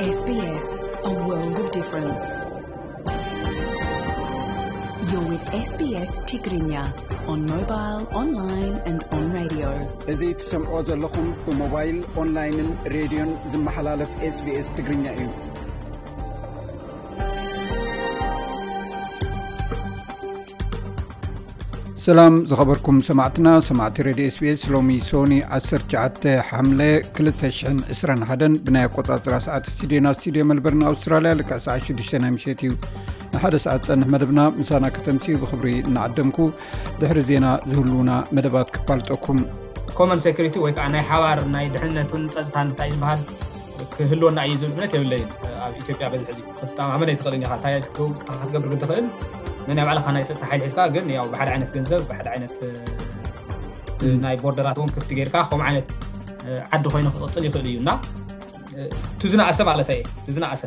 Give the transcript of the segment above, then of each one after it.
S B S, a world of difference. You're with S B S Tigrinya on mobile, online and on radio. እዚ ትሰምዖ ዘለኹም ብሞባይል፣ ኦንላይንን ሬድዮን ዝመሓላለፍ SBS ትግርኛ እዩ። ሰላም ዝኸበርኩም ሰማዕትና፣ ሰማዕቲ ሬድዮ SBS። ሎሚ ሶኒ ዓሰርተ ትሽዓተ ሓምለ ክልተ ሽሕን ዕስራን ሓደን ብናይ ኣቆጻጽራ ሰዓት ስቱዲዮና፣ ስቱዲዮ መልበርን ኣውስትራልያ፣ ልክዕ ሰዓት ሽዱሽተ ናይ ምሸት እዩ። ንሓደ ሰዓት ዝጸንሕ መደብና ምሳና ከተምስዩ ብኽብሪ እናዓደምኩ፣ ድሕሪ ዜና ዝህልዉና መደባት ክፋልጠኩም። ኮመን ሴኩሪቲ ወይ ከዓ ናይ ሓባር ናይ ድሕነትን ጸጥታን እንታይ ዝበሃል ክህልወና እዩ ዝብል እምነት የብለይን። ኣብ ኢትዮጵያ በዚ ሕዚ ክትተማመን ኣይትኽእልን ኢኻ። እንታይ ክትገብር ግን ትኽእል? ነናይ ባዕልኻ ናይ ጸጥታ ሓይሊ ሒዝካ ግን ያው ብሓደ ዓይነት ገንዘብ፣ ብሓደ ዓይነት፣ እ፣ ናይ ቦርደራት እውን ክፍቲ ጌርካ ከምኡ ዓይነት፣ እ፣ ዓዲ ኮይኑ ክቕጽል ይኽእል እዩ እና፣ እ፣ ትዝናኣሰ ማለት እየ፣ ትዝናኣሰ።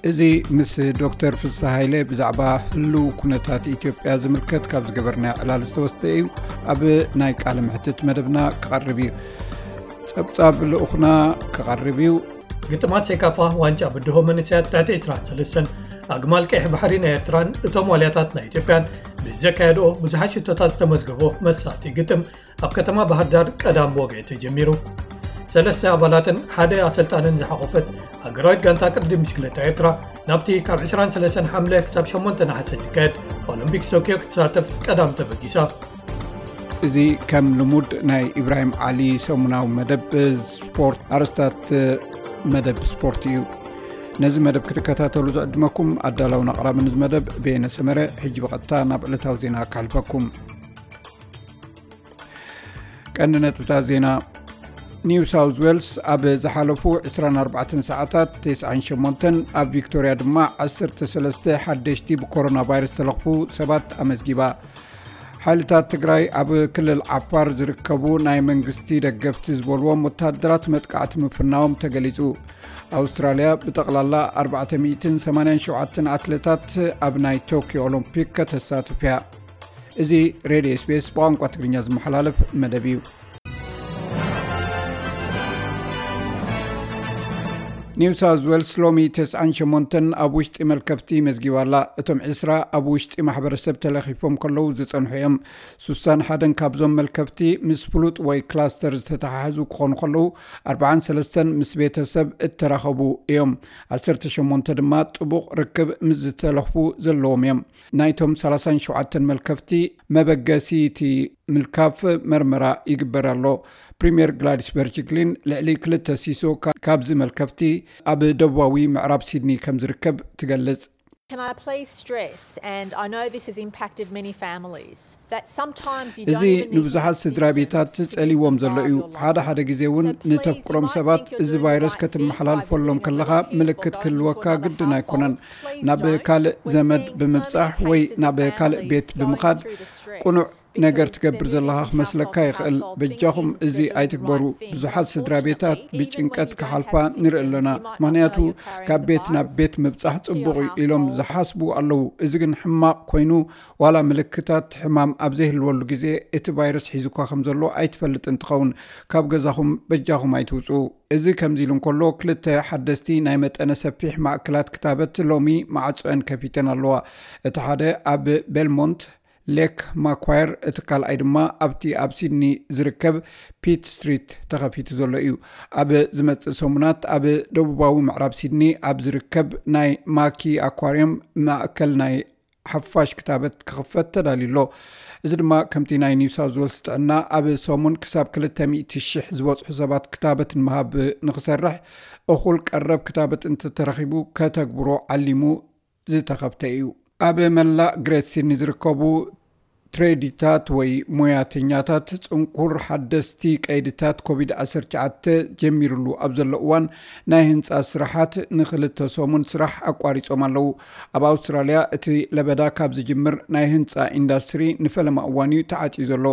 እዚ ምስ ዶክተር ፍስሃ ሃይለ ብዛዕባ ህልው ኩነታት ኢትዮጵያ ዝምልከት ካብ ዝገበርናዮ ዕላል ዝተወስደ እዩ። ኣብ ናይ ቃለ መሕትት መደብና ክቐርብ እዩ። ጸብጻብ ልኡኽና ክቐርብ እዩ። ግጥማት ሴካፋ ዋንጫ ብድሆ መንእሰያት ትሕቲ ዕስራን ሰለስተን ኣግማል ቀይሕ ባሕሪ ናይ ኤርትራን እቶም ዋልያታት ናይ ኢትዮጵያን ብዘካየድኦ ብዙሓት ሽቶታት ዝተመዝገቦ መሳጢ ግጥም ኣብ ከተማ ባህር ዳር ቀዳም ብወግዒ ተጀሚሩ። ሰለስተ ኣባላትን ሓደ ኣሰልጣንን ዝሓቖፈት ሃገራዊት ጋንታ ቅድድም ብሽክለታ ኤርትራ ናብቲ ካብ ዕስራን ሰለስተን ሓምለ ክሳብ ሸሞንተ ነሓሰ ዝካየድ ኦሎምፒክስ ቶክዮ ክትሳተፍ ቀዳም ተበጊሳ። እዚ ከም ልሙድ ናይ ኢብራሂም ዓሊ ሰሙናዊ መደብ ስፖርት፣ ኣርእስታት መደብ ስፖርት እዩ። ነዚ መደብ ክትከታተሉ ዝዕድመኩም ኣዳላውን ኣቕራብን እዚ መደብ በየነ ሰመረ። ሕጂ ብቐጥታ ናብ ዕለታዊ ዜና ከሕልፈኩም። ቀንዲ ነጥብታት ዜና። ኒው ሳውዝ ዌልስ ኣብ ዝሓለፉ ዕስራን ኣርባዕተን ሰዓታት ተስዓን ሸሞንተን፣ ኣብ ቪክቶርያ ድማ ዓሰርተ ሰለስተ ሓደሽቲ ብኮሮና ቫይረስ ዝተለኽፉ ሰባት ኣመዝጊባ። ሓይልታት ትግራይ ኣብ ክልል ዓፋር ዝርከቡ ናይ መንግስቲ ደገፍቲ ዝበልዎም ወታደራት መጥቃዕቲ ምፍናዎም ተገሊጹ። ኣውስትራልያ ብጠቕላላ ኣርባዕተ ሚእትን ሰማንያን ሸውዓተን ኣትሌታት ኣብ ናይ ቶኪዮ ኦሎምፒክ ከተሳትፍ እያ። እዚ ሬድዮ SBS ብቋንቋ ትግርኛ ዝመሓላለፍ መደብ እዩ። ኒው ሳውዝ ዌልስ ሎሚ ተስዓን ሸሞንተን ኣብ ውሽጢ መልከፍቲ መዝጊባ ኣላ። እቶም ዕስራ ኣብ ውሽጢ ማሕበረሰብ ተለኺፎም ከለዉ ዝጸንሑ እዮም። ስሳን ሓደን ካብዞም መልከፍቲ ምስ ፍሉጥ ወይ ክላስተር ዝተተሓሓዙ ክኾኑ ከለዉ፣ ኣርባዓን ሰለስተን ምስ ቤተሰብ እተራኸቡ እዮም። ዓሰርተ ሸሞንተ ድማ ጥቡቕ ርክብ ምስ ዝተለኽፉ ዘለዎም እዮም። ናይቶም ሰላሳን ሸውዓተን መልከፍቲ መበገሲ እቲ ምልካፍ መርመራ ይግበር ኣሎ። ፕሪምየር ግላዲስ በርጅክሊን ልዕሊ ክልተ ሲሶ ካ-፣ ካብዚ መልከፍቲ ኣብ ደቡባዊ ምዕራብ ሲድኒ ከም ዝርከብ ትገልጽ። Can I please stress, and I know this has impacted many families, that sometimes you don't እዚ even need to ንብዙሓት have ስድራ symptoms ቤታት to be ጸሊዎም ዘሎ እዩ። part of your ሓደ loved ሓደ one. ግዜ እውን So please, you ንተፍቅሮም might ሰባት think you're እዚ doing the ቫይረስ right thing by ከተመሓላልፈሎም visiting ከለኻ a relative ምልክት for ክህልወካ the month or ግድን half ኣይኮነን። Of. Please ናብ don't ካልእ use ዘመድ credit cards, ብምብጻሕ ወይ ናብ ካልእ ቤት ብምኻድ ቅኑዕ ነገር ትገብር ዘለኻ ክመስለካ ይኽእል። በጃኹም እዚ ኣይትግበሩ። ብዙሓት ስድራ ቤታት ብጭንቀት ክሓልፋ ንርኢ ኣለና። ምኽንያቱ ካብ ቤት ናብ ቤት ምብጻሕ ጽቡቕ እዩ ኢሎም ዝሓስቡ ኣለዉ። እዚ ግን ሕማቕ ኮይኑ፣ ዋላ ምልክታት ሕማም ኣብ ዘይህልወሉ ግዜ እቲ ቫይረስ ሒዙኳ ከም ዘሎ ኣይትፈልጥን ትኸውን። ካብ ገዛኹም በጃኹም ኣይትውጽኡ። እዚ ከምዚ ኢሉ እንከሎ፣ ክልተ ሓደስቲ ናይ መጠነ ሰፊሕ ማእከላት ክታበት ሎሚ ማዕጾአን ከፊተን ኣለዋ። እቲ ሓደ ኣብ ቤልሞንት ሌክ ማኳየር፣ እቲ ካልኣይ ድማ ኣብቲ ኣብ ሲድኒ ዝርከብ ፒት ስትሪት ተኸፊቱ ዘሎ እዩ። ኣብ ዝመጽእ ሰሙናት ኣብ ደቡባዊ ምዕራብ ሲድኒ ኣብ ዝርከብ ናይ ማኪ ኣኳርየም ማእከል ናይ ሓፋሽ ክታበት ክኽፈት ተዳልዩ ኣሎ። እዚ ድማ ከምቲ ናይ ኒው ሳውዝ ዌልስ ጥዕና ኣብ ሰሙን ክሳብ ክልተ ሚእቲ ሽሕ ዝበጽሑ ሰባት ክታበት ንምሃብ ንኽሰርሕ፣ እኹል ቀረብ ክታበት እንተተረኺቡ ከተግብሮ ዓሊሙ ዝተኸፍተ እዩ። ኣብ መላእ ግሬት ሲድኒ ዝርከቡ ትሬዲታት ወይ ሞያተኛታት ጽንኩር ሓደስቲ ቀይድታት ኮቪድ ዓሰርተ ትሽዓተ ጀሚሩሉ ኣብ ዘሎ እዋን፣ ናይ ህንጻ ስራሓት ንኽልተ ሰሙን ስራሕ ኣቋሪጾም ኣለዉ። ኣብ ኣውስትራልያ እቲ ለበዳ ካብ ዝጅምር ናይ ህንጻ ኢንዳስትሪ ንፈለማ እዋን እዩ ተዓጽዩ ዘሎ።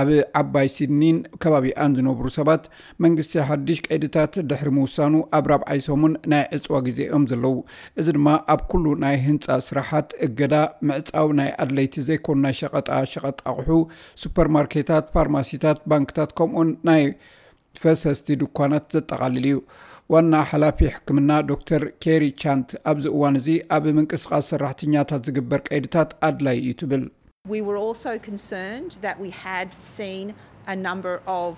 ኣብ ዓባይ ሲድኒን ከባቢኣን ዝነብሩ ሰባት መንግስቲ ሓድሽ ቀይድታት ድሕሪ ምውሳኑ ኣብ ራብዓይ ሰሙን ናይ ዕጽዋ ግዜ እዮም ዘለዉ። እዚ ድማ ኣብ ኩሉ ናይ ህንጻ ስራሓት እገዳ፣ ምዕጻው ናይ ኣድለይቲ ዘይኮኑ ናይ ሸቐጣ ሸቐጥ ኣቑሑ፣ ሱፐርማርኬታት፣ ፋርማሲታት፣ ባንክታት ከምኡውን ናይ ፈሰስቲ ድኳናት ዘጠቓልል እዩ። ዋና ሓላፊ ሕክምና ዶክተር ኬሪ ቻንት ኣብዚ እዋን እዚ ኣብ ምንቅስቓስ ሰራሕተኛታት ዝግበር ቀይድታት ኣድላይ እዩ ትብል። We were also concerned that we had seen a number of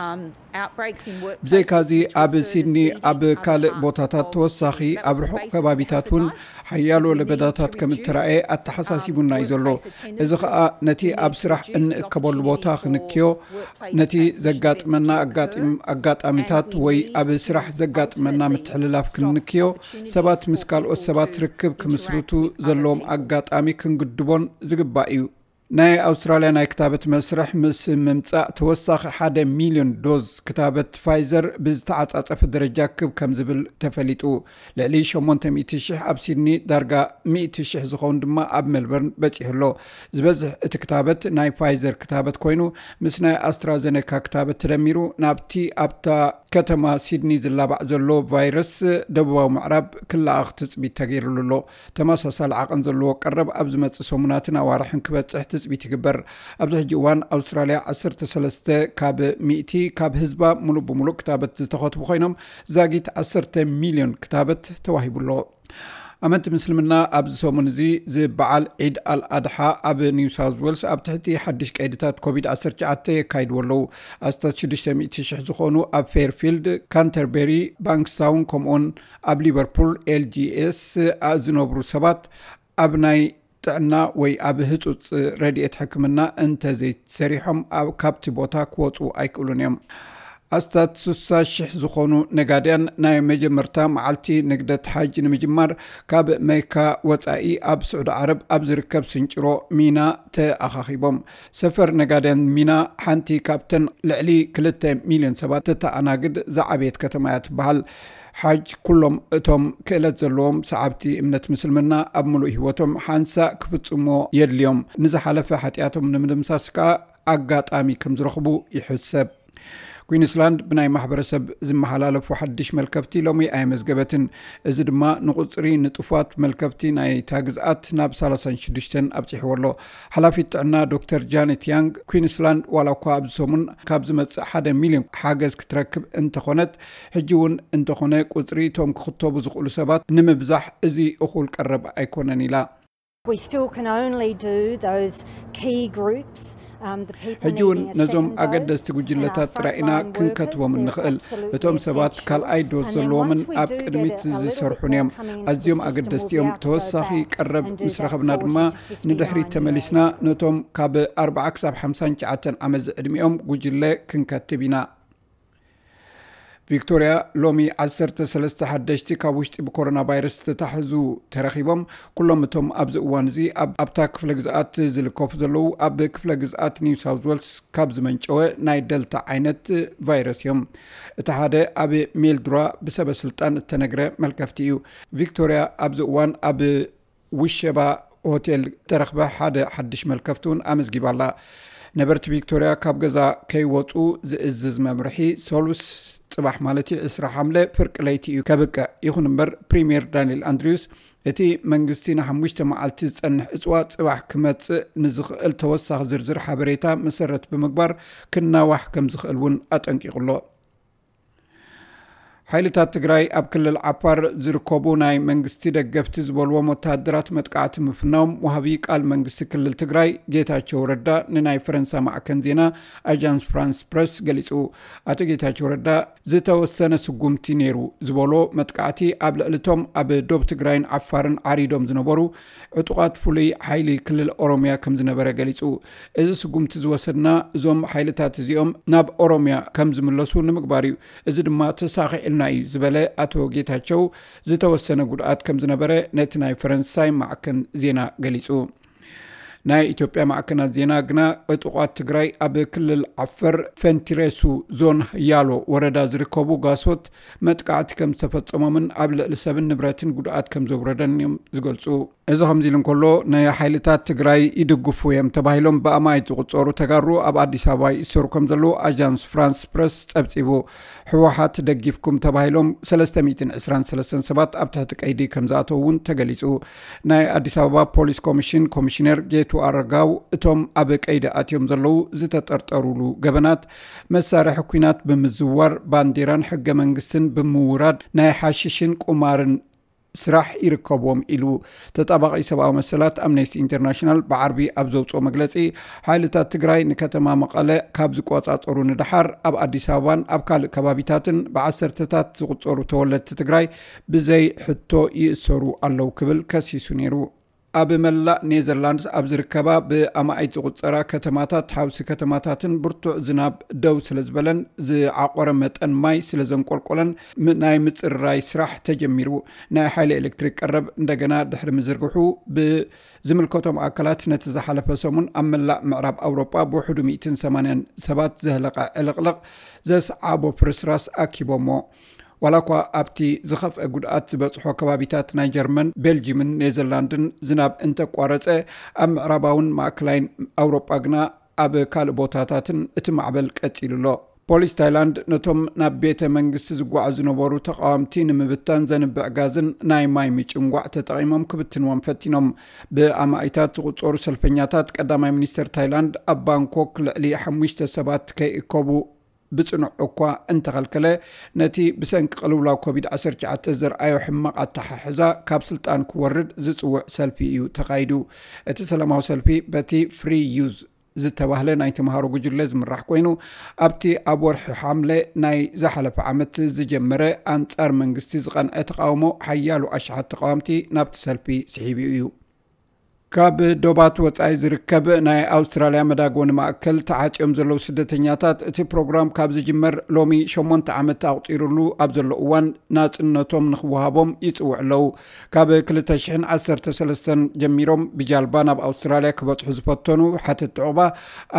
um, outbreaks in workplaces. ብዘይካዚ which were ኣብ further ሲድኒ seeding ኣብ other ካልእ parts ቦታታት of ተወሳኺ Queensland. That ኣብ was the ርሑቕ basis ከባቢታት of እውን advertising. ሓያሎ We need ለበዳታት to ከም reduce, እተራእየ ኣተሓሳሲቡና እዩ ዘሎ። um, እዚ ኸኣ workplace ነቲ ኣብ attendance, ስራሕ reduce the እንእከበሉ ቦታ opportunity for ክንክዮ workplace ነቲ transmission ዘጋጥመና to ኣጋጢም others. ኣጋጣሚታት And we ወይ need ኣብ to ስራሕ ዘጋጥመና ultimately ምትሕልላፍ stop ክንክዮ opportunities ሰባት for ምስ ካልኦት people ሰባት to ርክብ interact ክምስርቱ with other ዘለዎም people. ኣጋጣሚ ክንግድቦን ዝግባእ እዩ። ናይ ኣውስትራልያ ናይ ክታበት መስርሕ ምስ ምምጻእ ተወሳኺ ሓደ ሚልዮን ዶዝ ክታበት ፋይዘር ብዝተዓጻጸፈ ደረጃ ክብ ከም ዝብል ተፈሊጡ። ልዕሊ ሸሞንተ ሚእቲ ሽሕ ኣብ ሲድኒ፣ ዳርጋ ሚእቲ ሽሕ ዝኸውን ድማ ኣብ ሜልበርን በጺሑ ኣሎ። ዝበዝሕ እቲ ክታበት ናይ ፋይዘር ክታበት ኮይኑ፣ ምስ ናይ ኣስትራዘነካ ክታበት ተደሚሩ ናብቲ ኣብታ ከተማ ሲድኒ ዝላባዕ ዘሎ ቫይረስ ደቡባዊ ምዕራብ ክለኣኽ ትጽቢት ተገይሩሉ ኣሎ። ተመሳሳሊ ዓቐን ዘለዎ ቀረብ ኣብ ዝመጽእ ሰሙናትን ኣዋርሕን ክበጽሕ ትጽቢት ይግበር። ኣብዚ ሕጂ እዋን ኣውስትራልያ ዓሰርተ ሰለስተ ካብ ሚእቲ ካብ ህዝባ ሙሉእ ብሙሉእ ክታበት ዝተኸትቡ ኮይኖም፣ ዛጊት ዓሰርተ ሚልዮን ክታበት ተዋሂቡ ኣሎ። ኣመንቲ ምስልምና ኣብዚ ሰሙን እዚ ዝበዓል ዒድ ኣል ኣድሓ ኣብ ኒው ሳውዝ ዌልስ ኣብ ትሕቲ ሓድሽ ቀይድታት ኮቪድ ዓሰርተ ትሽዓተ የካይድዎ ኣለዉ። ኣስታት ሽዱሽተ ሚእቲ ሽሕ ዝኾኑ ኣብ ፌርፊልድ፣ ካንተርቤሪ፣ ባንክስታውን ከምኡውን ኣብ ሊቨርፑል ኤልጂኤስ ዝነብሩ ሰባት ኣብ ናይ ጥዕና ወይ ኣብ ህጹጽ ረድኤት ሕክምና እንተዘይሰሪሖም ኣብ ካብቲ ቦታ ክወጹ ኣይክእሉን እዮም። ኣስታት ስሳ ሽሕ ዝኾኑ ነጋድያን ናይ መጀመርታ መዓልቲ ንግደት ሓጅ ንምጅማር ካብ መካ ወጻኢ ኣብ ስዑዲ ዓረብ ኣብ ዝርከብ ስንጭሮ ሚና ተኣኻኺቦም። ሰፈር ነጋድያን ሚና ሓንቲ ካብተን ልዕሊ ክልተ ሚልዮን ሰባት ተተኣናግድ ዝዓበየት ከተማ እያ ትበሃል። ሓጅ ኩሎም እቶም ክእለት ዘለዎም ሰዓብቲ እምነት ምስልምና ኣብ ምሉእ ህይወቶም ሓንሳእ ክፍጽሞ የድልዮም። ንዝሓለፈ ሓጢኣቶም ንምድምሳስ ከኣ ኣጋጣሚ ከም ዝረኽቡ ይሕሰብ። ኩዊንስላንድ ብናይ ማሕበረሰብ ዝመሓላለፉ ሓድሽ መልከፍቲ ሎሚ ኣየመዝገበትን። እዚ ድማ ንቁጽሪ ንጡፋት መልከፍቲ ናይታ ግዝኣት ናብ ሰላሳን ሽዱሽተን ኣብጺሕዎ ኣሎ። ሓላፊት ጥዕና ዶክተር ጃኔት ያንግ፣ ኩዊንስላንድ ዋላ እኳ ኣብዚ ሰሙን ካብ ዝመጽእ ሓደ ሚልዮን ሓገዝ ክትረክብ እንተኾነት፣ ሕጂ እውን እንተኾነ ቁጽሪ እቶም ክኽተቡ ዝኽእሉ ሰባት ንምብዛሕ እዚ እኹል ቀረብ ኣይኮነን ኢላ። We still can only do those key groups. Um, the people ሕጂ እውን needing a ነዞም second ኣገደስቲ dose and ጉጅለታት our ጥራይ ኢና frontline workers, ክንከትቦም they're ንኽእል። absolutely እቶም ሰባት essential. ካልኣይ ዶዝ And then ዘለዎምን once we ኣብ do get ቅድሚት a, a little bit ዝሰርሑን more እዮም። coming into the ኣዝዮም system, ኣገደስቲ we'll be እዮም። able to go ተወሳኺ back ቀረብ and do ምስ that ረኸብና ድማ forty to fifty-nine ንድሕሪት year ተመሊስና age. ነቶም ካብ ኣርብዓ ክሳብ ሓምሳ ትሽዓተ ዓመት ዝዕድሚኦም ጉጅለ ክንከትብ ኢና። ቪክቶርያ ሎሚ ዓሰርተ ሰለስተ ሓደሽቲ ካብ ውሽጢ ብኮሮና ቫይረስ ዝተታሕዙ ተረኺቦም። ኩሎም እቶም ኣብዚ እዋን እዚ ኣብ ኣብታ ክፍለ ግዝኣት ዝልከፉ ዘለዉ ኣብ ክፍለ ግዝኣት ኒው ሳውዝ ዌልስ ካብ ዝመንጨወ ናይ ደልታ ዓይነት ቫይረስ እዮም። እቲ ሓደ ኣብ ሜልድራ ብሰበ ስልጣን እተነግረ መልከፍቲ እዩ። ቪክቶርያ ኣብዚ እዋን ኣብ ውሸባ ሆቴል ተረኽበ ሓደ ሓድሽ መልከፍቲ እውን ኣመዝጊባ ኣላ። ነበርቲ ቪክቶርያ ካብ ገዛ ከይወፁ ዝእዝዝ መምርሒ ሰሉስ ጽባሕ ማለት እዩ ዕስራ ሓምለ ፍርቂ ለይቲ እዩ ከብቅዕ። ይኹን እምበር ፕሪምየር ዳንኤል ኣንድሪውስ እቲ መንግስቲ ንሓሙሽተ መዓልቲ ዝጸንሕ ዕጽዋ ጽባሕ ክመጽእ ንዝኽእል ተወሳኺ ዝርዝር ሓበሬታ መሰረት ብምግባር ክናዋሕ ከም ዝኽእል እውን ኣጠንቂቑ ኣሎ። ሓይልታት ትግራይ ኣብ ክልል ዓፋር ዝርከቡ ናይ መንግስቲ ደገፍቲ ዝበልዎም ወተሃደራት መጥቃዕቲ ምፍናዎም ወሃቢ ቃል መንግስቲ ክልል ትግራይ ጌታቸው ረዳ ንናይ ፈረንሳ ማዕከን ዜና ኣጃንስ ፍራንስ ፕረስ ገሊጹ። ኣቶ ጌታቸው ረዳ ዝተወሰነ ስጉምቲ ነይሩ ዝበሎ መጥቃዕቲ ኣብ ልዕሊ እቶም ኣብ ዶብ ትግራይን ዓፋርን ዓሪዶም ዝነበሩ ዕጡቓት ፍሉይ ሓይሊ ክልል ኦሮምያ ከም ዝነበረ ገሊጹ። እዚ ስጉምቲ ዝወሰድና እዞም ሓይልታት እዚኦም ናብ ኦሮምያ ከም ዝምለሱ ንምግባር እዩ። እዚ ድማ ተሳኺዕልና እዩ ዝበለ ኣቶ ጌታቸው፣ ዝተወሰነ ጉድኣት ከም ዝነበረ ነቲ ናይ ፈረንሳይ ማዕከን ዜና ገሊጹ። ናይ ኢትዮጵያ ማዕከናት ዜና ግና ዕጡቓት ትግራይ ኣብ ክልል ዓፈር ፈንቲሬሱ ዞን ያሎ ወረዳ ዝርከቡ ጋሶት መጥቃዕቲ ከም ዝተፈጸሞምን ኣብ ልዕሊ ሰብን ንብረትን ጉድኣት ከም ዘውረደን እዮም ዝገልጹ። እዚ ከምዚ ኢሉ እንከሎ፣ ንሓይልታት ትግራይ ይድግፉ እዮም ተባሂሎም ብኣማኢት ዝቑጸሩ ተጋሩ ኣብ ኣዲስ ኣበባ ይእሰሩ ከም ዘለዉ ኣጃንስ ፍራንስ ፕረስ ጸብጺቡ። ህወሓት ደጊፍኩም ተባሂሎም ሰለስተ ሚእትን ዕስራን ሰለስተን ሰባት ኣብ ትሕቲ ቀይዲ ከም ዝኣተዉ እውን ተገሊጹ። ናይ ኣዲስ ኣበባ ፖሊስ ኮሚሽን ኮሚሽነር ጌቱ ቱኣረጋው፣ እቶም ኣብ ቀይዲ ኣትዮም ዘለዉ ዝተጠርጠሩሉ ገበናት፣ መሳርሒ ኲናት ብምዝዋር፣ ባንዲራን ሕገ መንግስትን ብምውራድ፣ ናይ ሓሽሽን ቁማርን ስራሕ ይርከብዎም ኢሉ። ተጣባቒ ሰብኣዊ መሰላት ኣምነስቲ ኢንተርናሽናል ብዓርቢ ኣብ ዘውፅኦ መግለፂ፣ ሓይልታት ትግራይ ንከተማ መቐለ ካብ ዝቆፃፀሩ ንደሓር፣ ኣብ ኣዲስ ኣበባን ኣብ ካልእ ከባቢታትን ብዓሰርተታት ዝቑፀሩ ተወለድቲ ትግራይ ብዘይ ሕቶ ይእሰሩ ኣለዉ ክብል ከሲሱ ነይሩ። ኣብ መላእ ኔዘርላንድስ ኣብ ዝርከባ ብኣማኢት ዝቑጸራ ከተማታት፣ ሓውሲ ከተማታትን ብርቱዕ ዝናብ ደው ስለ ዝበለን ዝዓቆረ መጠን ማይ ስለ ዘንቆልቆለን፣ ም-፣ ናይ ምጽርራይ ስራሕ ተጀሚሩ። ናይ ሓይሊ ኤሌክትሪክ ቀረብ እንደገና ድሕሪ ምዝርግሑ፣ ብዝምልከቶም ኣካላት ነቲ ዝሓለፈ ሰሙን ኣብ መላእ ምዕራብ ኣውሮጳ ብውሕዱ ሚእትን ሰማንያን ሰባት ዘህለቐ ዕልቕልቕ ዘስዓቦ ፍርስራስ ኣኪቦሞ። ዋላ እኳ ኣብቲ ዝኸፍአ ጉድኣት ዝበጽሖ ከባቢታት ናይ ጀርመን፣ ቤልጂምን ኔዘርላንድን ዝናብ እንተቋረጸ፣ ኣብ ምዕራባውን ማእከላይን ኣውሮጳ ግና ኣብ ካልእ ቦታታትን እቲ ማዕበል ቀጺሉ ኣሎ። ፖሊስ ታይላንድ ነቶም ናብ ቤተ መንግስቲ ዝጓዓዙ ዝነበሩ ተቓወምቲ ንምብታን ዘንብዕ ጋዝን ናይ ማይ ምጭንጓዕ ተጠቒሞም ክብትንዎም ፈቲኖም። ብኣማኢታት ዝቑጸሩ ሰልፈኛታት ቀዳማይ ሚኒስተር ታይላንድ ኣብ ባንኮክ ልዕሊ ሓሙሽተ ሰባት ከይእከቡ ብጽኑዕ እኳ እንተኸልከለ፣ ነቲ ብሰንኪ ቅልውላው ኮቪድ ዓሰርተ ትሽዓተ ዘርኣዮ ሕማቕ ኣተሓሕዛ ካብ ስልጣን ክወርድ ዝጽውዕ ሰልፊ እዩ ተኻይዱ። እቲ ሰላማዊ ሰልፊ በቲ ፍሪ ዩዝ ዝተባህለ ናይ ተምሃሮ ጉጅለ ዝምራሕ ኮይኑ፣ ኣብቲ ኣብ ወርሒ ሓምለ ናይ ዝሓለፈ ዓመት ዝጀመረ ኣንጻር መንግስቲ ዝቐንዐ ተቓውሞ ሓያሎ ኣሽሓት ተቓወምቲ ናብቲ ሰልፊ ስሒቡ እዩ። ካብ ዶባት ወጻኢ ዝርከብ ናይ ኣውስትራልያ መዳጎኒ ማእከል ተዓጽዮም ዘለዉ ስደተኛታት፣ እቲ ፕሮግራም ካብ ዝጅመር ሎሚ ሸሞንተ ዓመት ኣቑጺሩሉ ኣብ ዘሎ እዋን፣ ናጽነቶም ንኽወሃቦም ይጽውዑ ኣለዉ። ካብ ክልተ ሽሕን ዓሰርተ ሰለስተን ጀሚሮም ብጃልባ ናብ ኣውስትራልያ ክበጽሑ ዝፈተኑ ሓተቲ ዑቕባ፣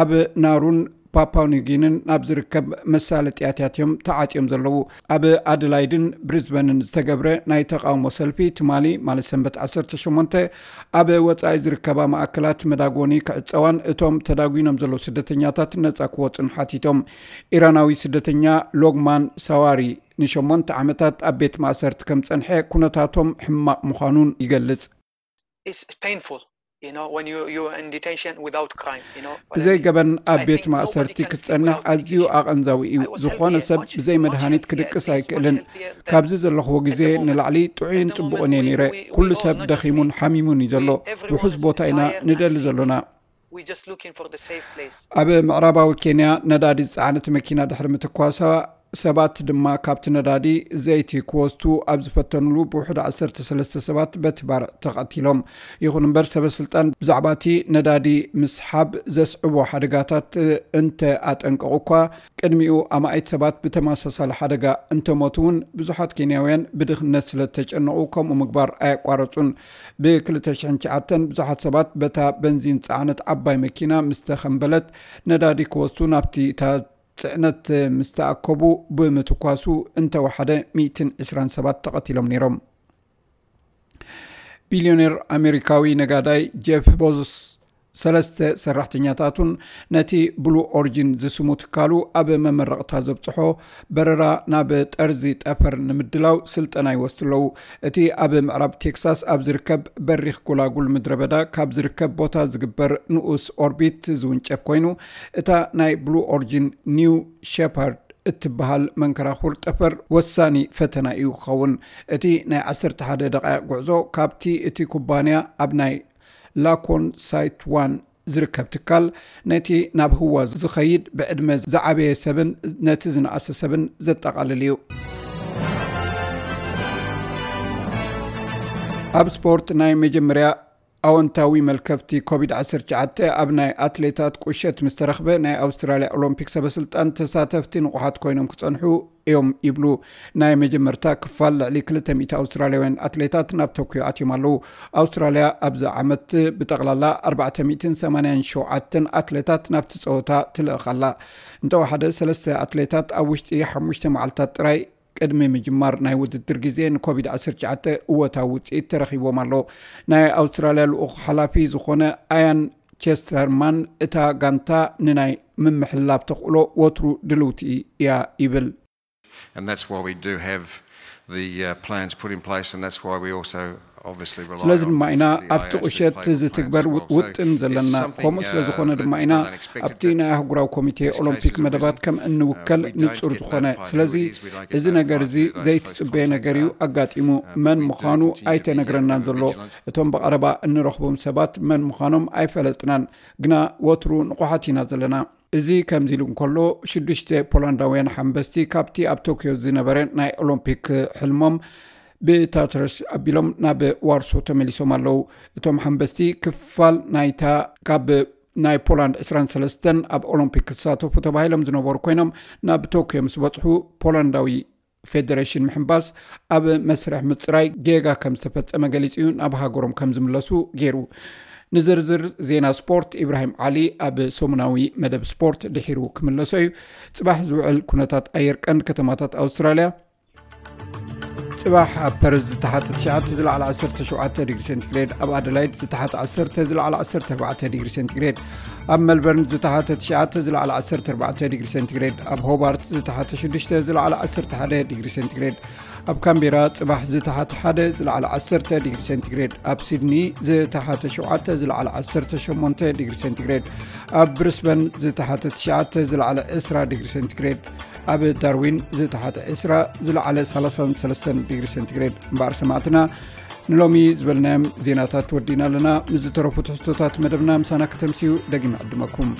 ኣብ ናሩን ፓፓው ኒውጊንን ናብ ዝርከብ መሳለጥያታት እዮም ተዓጽዮም ዘለዉ። ኣብ ኣደላይድን ብሪዝበንን ዝተገብረ ናይ ተቓውሞ ሰልፊ ትማሊ፣ ማለት ሰንበት ዓሰርተ ሸሞንተ፣ ኣብ ወጻኢ ዝርከባ ማእከላት መዳጎኒ ክዕጸዋን እቶም ተዳጒኖም ዘለዉ ስደተኛታት ነጻ ክወጹን ሓቲቶም። ኢራናዊ ስደተኛ ሎግማን ሳዋሪ ንሸሞንተ ዓመታት ኣብ ቤት ማእሰርቲ ከም ጸንሐ፣ ኩነታቶም ሕማቕ ምዃኑን ይገልጽ። It's painful, you know, when you you are in detention without crime, you know. ብዘይ ገበን ኣብ ቤት ማእሰርቲ ክትጸንሕ ኣዝዩ ኣቐንዛዊ እዩ። ዝኾነ ሰብ ብዘይ መድሃኒት ክድቅስ ኣይክእልን። ካብዚ ዘለኽዎ ግዜ ንላዕሊ ጥዑይን ጽቡቕን እየ ነይረ። ኩሉ ሰብ ደኺሙን ሓሚሙን እዩ ዘሎ። ውሑስ ቦታ ኢና ንደሊ ዘሎና። ኣብ ምዕራባዊ ኬንያ ነዳዲ ዝጸዓነት መኪና ድሕሪ ምትኳሳ፣ ሰባት ድማ ካብቲ ነዳዲ ዘይቲ ክወስዱ ኣብ ዝፈተኑሉ፣ ብውሕዱ ዓሰርተ ሰለስተ ሰባት በቲ ባርዕ ተቐቲሎም። ይኹን እምበር፣ ሰበ ስልጣን ብዛዕባ እቲ ነዳዲ ምስሓብ ዘስዕቦ ሓደጋታት እንተ ኣጠንቀቑ እኳ፣ ቅድሚኡ ኣማኢት ሰባት ብተመሳሳሊ ሓደጋ እንተሞቱ እውን፣ ብዙሓት ኬንያውያን ብድኽነት ስለ እተጨነቑ ከምኡ ምግባር ኣየቋረጹን። ብ ክልተ ሽሕን ትሽዓተን ብዙሓት ሰባት በታ በንዚን ዝጸዓነት ዓባይ መኪና ምስ ተኸምበለት፣ ነዳዲ ክወስዱ ናብቲ እታ ጽዕነት ምስ ተኣከቡ፣ ብምትኳሱ እንተወሓደ ሚእትን ዕስራን ሰባት ተቐቲሎም ነይሮም። ቢልዮኔር ኣሜሪካዊ ነጋዳይ ጄፍ ቦዞስ ሰለስተ ሰራሕተኛታቱን ነቲ ብሉ ኦሪጂን ዝስሙ ትካሉ ኣብ መመረቕታ ዘብጽሖ በረራ ናብ ጠርዚ ጠፈር ንምድላው ስልጠና ይወስዱ ኣለዉ። እቲ ኣብ ምዕራብ ቴክሳስ ኣብ ዝርከብ በሪኽ ጎላጉል ምድረ በዳ ካብ ዝርከብ ቦታ ዝግበር ንኡስ ኦርቢት ዝውንጨፍ ኮይኑ፣ እታ ናይ ብሉ ኦሪጂን ኒው ሸፓርድ እትበሃል መንኮራኹር ጠፈር ወሳኒ ፈተና እዩ ክኸውን። እቲ ናይ ዓሰርተ ሓደ ደቓይቕ ጉዕዞ ካብቲ እቲ ኩባንያ ኣብ ናይ ላኮን ሳይት ዋን ዝርከብ ትካል፣ ነቲ ናብ ህዋ ዝኸይድ ብዕድመ ዝዓበየ ሰብን ነቲ ዝነኣሰ ሰብን ዘጠቓልል እዩ። ኣብ ስፖርት፣ ናይ መጀመርያ ኣወንታዊ መልከፍቲ ኮቪድ ዓሰርተ ትሽዓተ ኣብ ናይ ኣትሌታት ቁሸት ምስ ተረኽበ፣ ናይ ኣውስትራልያ ኦሎምፒክ ሰበስልጣን ተሳተፍቲ ንቑሓት ኮይኖም ክጸንሑ እዮም ይብሉ። ናይ መጀመርታ ክፋል ልዕሊ ክልተ ሚእቲ ኣውስትራልያውያን ኣትሌታት ናብ ቶክዮ ኣትዮም ኣለዉ። ኣውስትራልያ ኣብዚ ዓመት ብጠቕላላ ኣርባዕተ ሚእትን ሰማንያን ሸውዓተን ኣትሌታት ናብቲ ጸወታ ትልእኽ ኣላ። እንተወሓደ፣ ሰለስተ ኣትሌታት ኣብ ውሽጢ ሓሙሽተ መዓልታት ጥራይ ቅድሚ ምጅማር ናይ ውድድር ግዜ ንኮቪድ ዓሰርተ ትሽዓተ እወታዊ ውፅኢት ተረኺቦም ኣሎ። ናይ ኣውስትራልያ ልኡኽ ሓላፊ ዝኾነ ኣያን ቸስተርማን፣ እታ ጋንታ ንናይ ምምሕልላፍ ተኽእሎ ወትሩ ድልውቲ እያ ይብል። And that's why we do have the uh, plans put in place, and that's why we also obviously rely ስለዚ on ድማ ኢና the ኣብቲ I O S to ቁሸት play the plans ዝትግበር as well. So ውጥን ዘለና it's something, ከምኡ ስለ uh, ዝኾነ ድማ that ኢና was unexpected, ኣብቲ ናይ ኣህጉራዊ ኮሚቴ ኦሎምፒክ መደባት ከም እንውከል ንጹር ዝኾነ። ስለዚ እዚ ነገር እዚ ዘይትጽበየ ነገር እዩ ኣጋጢሙ። መን ምዃኑ ኣይተነግረናን ዘሎ። እቶም ብቐረባ እንረኽቦም ሰባት መን ምዃኖም ኣይፈለጥናን፣ ግና ወትሩ ንቑሓት ኢና ዘለና። እዚ ከምዚ ኢሉ እንከሎ፣ ሽዱሽተ ፖላንዳውያን ሓንበስቲ ካብቲ ኣብ ቶክዮ ዝነበረ ናይ ኦሎምፒክ ሕልሞም ብታትረስ ኣቢሎም ናብ ዋርሶ ተመሊሶም ኣለዉ። እቶም ሓንበስቲ ክፋል ናይታ ካብ ናይ ፖላንድ ዕስራን ሰለስተን ኣብ ኦሎምፒክ ክሳተፉ ተባሂሎም ዝነበሩ ኮይኖም፣ ናብ ቶክዮ ምስ በጽሑ፣ ፖላንዳዊ ፌደሬሽን ምሕንባስ ኣብ መስርሕ ምጽራይ ጌጋ ከም ዝተፈጸመ ገሊጹ እዩ ናብ ሃገሮም ከም ዝምለሱ ገይሩ። ንዝርዝር ዜና ስፖርት፣ ኢብራሂም ዓሊ ኣብ ሰሙናዊ መደብ ስፖርት ድሒሩ ክምለሶ እዩ። ጽባሕ ዝውዕል ኩነታት ኣየር ቀንዲ ከተማታት ኣውስትራልያ። ጽባሕ ኣብ ፐርዝ ዝተሓተ ትሽዓተ፣ ዝለዓለ ዓሰርተ ሸውዓተ ዲግሪ ሴንቲግሬድ፣ ኣብ ኣደላይድ ዝተሓተ ዓሰርተ፣ ዝለዓለ ዓሰርተ ኣርባዕተ ዲግሪ ሴንቲግሬድ፣ ኣብ ሜልበርን ዝተሓተ ትሽዓተ፣ ዝለዓለ ዓሰርተ ኣርባዕተ ዲግሪ ሴንቲግሬድ፣ ኣብ ሆባርት ዝተሓተ ሽዱሽተ፣ ዝለዓለ ዓሰርተ ሓደ ዲግሪ ሴንቲግሬድ፣ ኣብ ካምቤራ ጽባሕ ዝተሓተ ሓደ፣ ዝለዓለ ዓሰርተ ዲግሪ ሴንቲግሬድ፣ ኣብ ሲድኒ ዝተሓተ ሸውዓተ፣ ዝለዓለ ዓሰርተ ሸሞንተ ዲግሪ ሴንቲግሬድ፣ ኣብ ብሪስበን ዝተሓተ ትሽዓተ፣ ዝለዓለ ዕስራ ዲግሪ ሴንቲግሬድ፣ ኣብ ዳርዊን ዝተሓተ ዕስራ፣ ዝለዓለ ሰላሳን ሰለስተን ዲግሪ ሴንቲግሬድ። እምበኣር ሰማዕትና፣ ንሎሚ ዝበልናዮም ዜናታት ወዲና ኣለና። ምስ ዝተረፉ ትሕዝቶታት መደብና ምሳና ከተምስዩ ደጊመ ዕድመኩም።